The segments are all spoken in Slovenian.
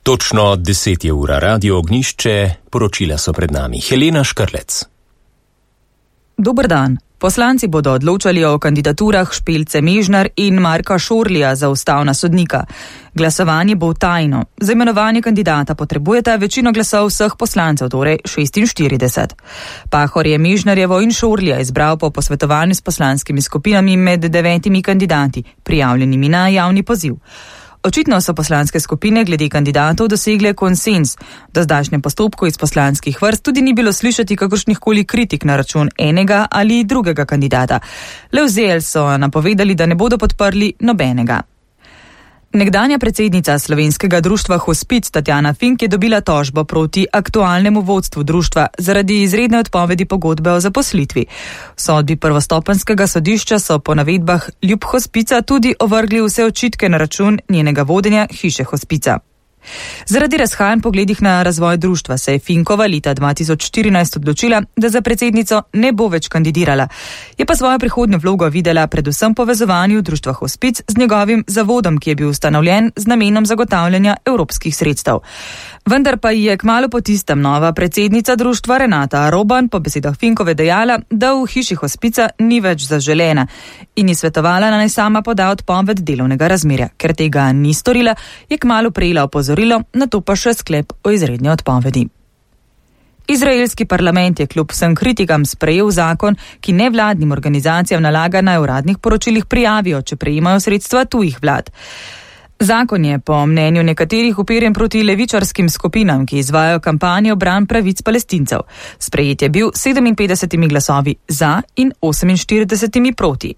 Točno 10 je ura, Radio Ognjišče, poročila so pred nami. Helena Škrlec. Dober dan. Poslanci bodo odločali o kandidaturah Špelce Mežnar in Marka Šorlija za ustavna sodnika. Glasovanje bo tajno. Za imenovanje kandidata potrebujete večino glasov vseh poslancev, torej 46. Pahor je Mežnarjevo in Šorlija izbral po posvetovanju s poslanskimi skupinami med 9 kandidati, prijavljenimi na javni poziv. Očitno so poslanske skupine glede kandidatov dosegle konsens. Do zdajšnjem postopku iz poslanskih vrst tudi ni bilo slišati kakršnihkoli kritik na račun enega ali drugega kandidata. Le v ZL so napovedali, da ne bodo podprli nobenega. Nekdanja predsednica Slovenskega društva Hospic Tatjana Fink je dobila tožbo proti aktualnemu vodstvu društva zaradi izredne odpovedi pogodbe o zaposlitvi. V sodbi prvostopenjskega sodišča so po navedbah ljub Hospica tudi ovrgli vse očitke na račun njenega vodenja hiše Hospica. Zaradi razhajanj pogledih na razvoj društva se je Finkova leta 2014 odločila, da za predsednico ne bo več kandidirala. Je pa svojo prihodnjo vlogo videla predvsem povezovanju društva Hospic z njegovim zavodom, ki je bil ustanovljen z namenom zagotavljanja evropskih sredstev. Vendar pa je kmalu po tistem nova predsednica društva Renata Roban po besedah Finkove dejala, da v hiši Hospica ni več zaželena in je svetovala, naj sama poda odpoved delovnega razmerja. Ker tega ni storila, je kmalu prejela opozorilo, nato pa še sklep o izredni odpovedi. Izraelski parlament je kljub vsem kritikam sprejel zakon, ki nevladnim organizacijam nalaga naj v uradnih poročilih prijavijo, če prejemajo sredstva tujih vlad. Zakon je po mnenju nekaterih uperjen proti levičarskim skupinam, ki izvajajo kampanjo bran pravic Palestincev. Sprejet je bil 57 glasovi za in 48 proti.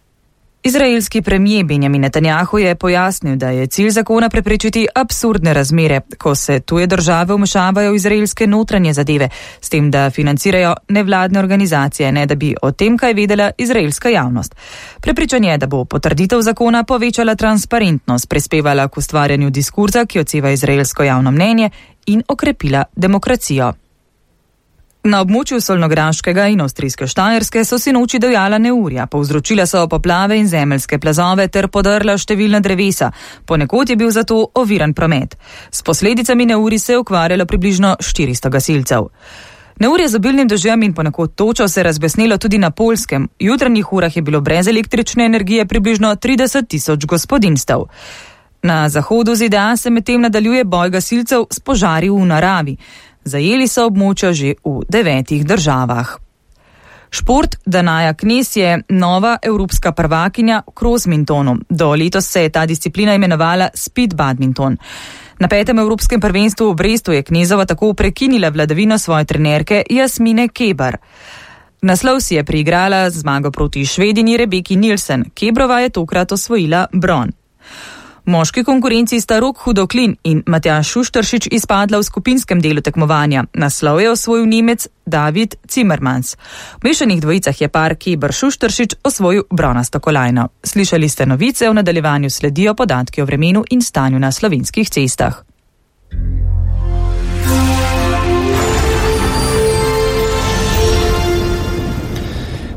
Izraelski premijer Benjamin Netanjahu je pojasnil, da je cilj zakona preprečiti absurdne razmere, ko se tuje države vmešavajo v izraelske notranje zadeve, s tem, da financirajo nevladne organizacije, ne da bi o tem kaj vedela izraelska javnost. Prepričan je, da bo potrditev zakona povečala transparentnost, prispevala k ustvarjanju diskurza, ki odseva izraelsko javno mnenje, in okrepila demokracijo. Na območju Solnograškega in Avstrijske Štajerske so sinoči divjala neurja, povzročila so poplave in zemeljske plazove ter podrla številna drevesa. Ponekod je bil zato oviran promet. S posledicami neurij se je ukvarjalo približno 400 gasilcev. Neurje z obilnim dežjem in ponekod točo se je razbesnelo tudi na Poljskem. V jutranjih urah je bilo brez električne energije približno 30.000 gospodinjstev. Na zahodu ZDA se medtem nadaljuje boj gasilcev s požari v naravi. Zajeli so območja že v 9 državah. Šport Danaja Knez je nova evropska prvakinja v krosmintonu. Do letos se je ta disciplina imenovala speed badminton. Na 5. evropskem prvenstvu v Brestu je Knezova tako prekinila vladavino svoje trenerke Jasmine Keber. Naslov si je priigrala zmago proti Švedinji Rebeki Nilsen. Kebrova je tokrat osvojila bron. V moški konkurenci sta Rok Hudoklin in Matjaž Šušteršič izpadla v skupinskem delu tekmovanja. Naslov je osvojil Nemec David Zimmermans. V mešanih dvojicah je par Keber Šušteršič osvojil bronasto kolajno. Slišali ste novice, v nadaljevanju sledijo podatki o vremenu in stanju na slovenskih cestah.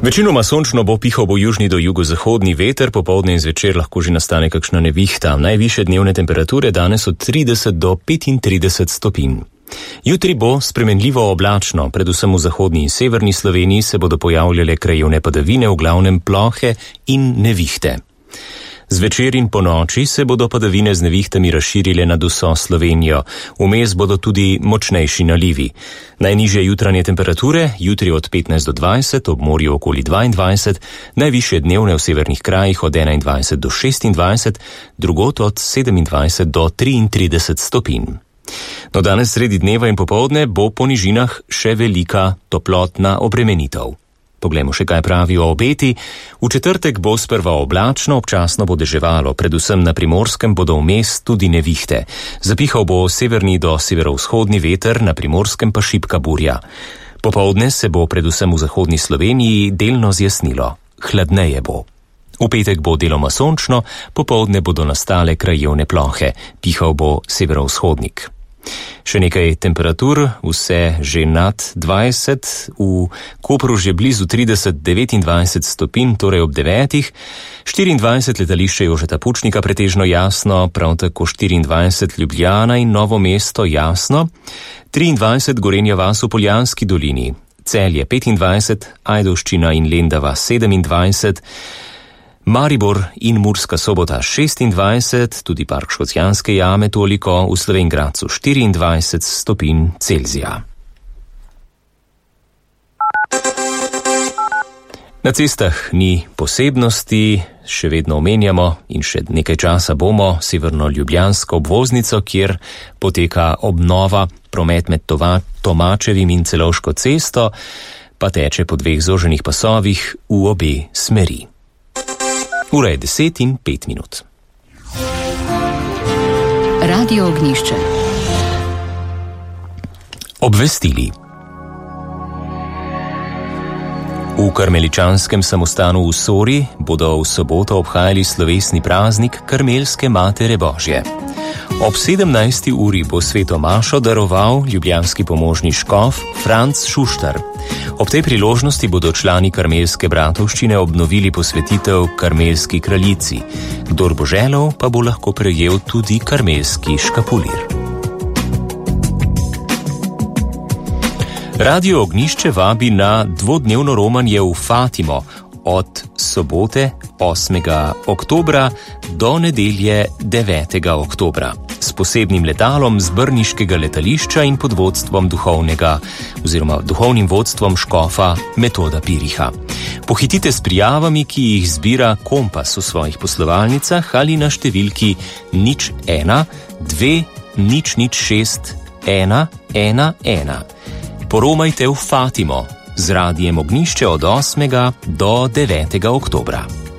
Večinoma sončno bo, pihal bo južni do jugozahodni veter, popoldne in zvečer lahko že nastane kakšna nevihta. Najvišje dnevne temperature danes od 30 do 35 stopinj. Jutri bo spremenljivo oblačno, predvsem v zahodni in severni Sloveniji se bodo pojavljale krajevne padavine, v glavnem plohe in nevihte. Zvečer in po noči se bodo padavine z nevihtami razširile nad vso Slovenijo. Vmes bodo tudi močnejši nalivi. Najnižje jutranje temperature, jutri od 15 do 20, ob morju okoli 22, najvišje dnevne v severnih krajih od 21 do 26, drugot od 27 do 33 stopinj. No, danes sredi dneva in popoldne bo po nižinah še velika toplotna obremenitev. Poglejmo še, kaj pravijo obeti. V četrtek bo sprva oblačno, občasno bo deževalo, predvsem na Primorskem bodo vmes tudi nevihte. Zapihal bo severni do severovzhodni veter, na Primorskem pa šibka burja. Popoldne se bo predvsem v zahodni Sloveniji delno zjasnilo. Hladneje bo. V petek bo deloma sončno, popoldne bodo nastale krajevne plohe. Pihal bo severovzhodnik. Še nekaj temperatur, vse že nad 20, v Kopru že blizu 30-29 stopinj, torej ob 9. 24 letališče Jožeta Pučnika pretežno jasno, prav tako 24 Ljubljana in Novo mesto jasno, 23 Gorenja vas v Poljanski dolini, Celje 25, Ajdovščina in Lendava 27, Maribor in Murska Sobota 26, tudi Park Škocjanske jame toliko, v Slovenj Gradcu 24 stopinj Celzija. Na cestah ni posebnosti, še vedno omenjamo in še nekaj časa bomo severno-ljubljansko obvoznico, kjer poteka obnova, promet med Tomačevim in Celovško cesto, pa teče po 2 zoženih pasovih v obe smeri. Ura je 10:05. Radio Ognjišče. Obvestili. V karmeličanskem samostanu v Sori bodo v soboto obhajali slovesni praznik Karmelske Matere Božje. Ob 17. uri bo sveto mašo daroval ljubljanski pomožni škof Franc Šuštar. Ob tej priložnosti bodo člani Karmelske bratovščine obnovili posvetitev Karmelski kraljici. Kdor bo želel, pa bo lahko prejel tudi karmelski škapulir. Radio Ognjišče vabi na dvodnevno romanje v Fatimo od sobote 8. oktobra do nedelje 9. oktobra s posebnim letalom z brniškega letališča in pod vodstvom duhovnim vodstvom škofa Metoda Piriha. Pohitite s prijavami, ki jih zbira Kompas v svojih poslovalnicah ali na številki 01 2 006 111. Poromajte v Fatimo z radijem Ognjišče od 8. do 9. oktobra.